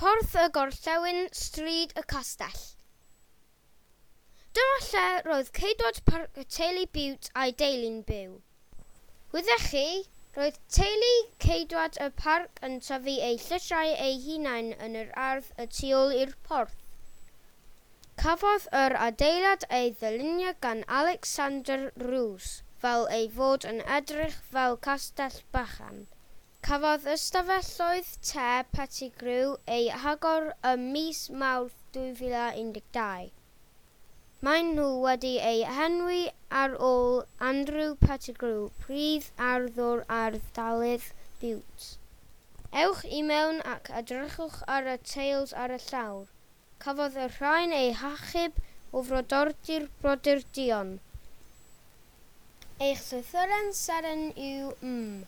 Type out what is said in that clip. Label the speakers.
Speaker 1: Porth y Gorllewin, Stryd y Castell. Dyma lle roedd ceidwad parc y teulu Bute a'i deulu'n byw. Wyddech chi, roedd teulu ceidwad y parc yn tyfu eu llysiau eu hunain yn yr ardd y tu ôl i'r porth. Cafodd yr adeilad ei ddylunio gan Alexander Roos fel ei fod yn edrych fel castell bychan. Cafodd ystafelloedd te Pettigrew eu hagor ym mis Mawrth 2012. Maen nhw wedi eu henwi ar ôl Andrew Pettigrew, prif arddwr Ardd Bute. Ewch i mewn ac edrychwch ar y teils ar y llawr. Cafodd y rhain eu hachub o frodordy'r Brodyr Duon. Eich llythyren seren yw M.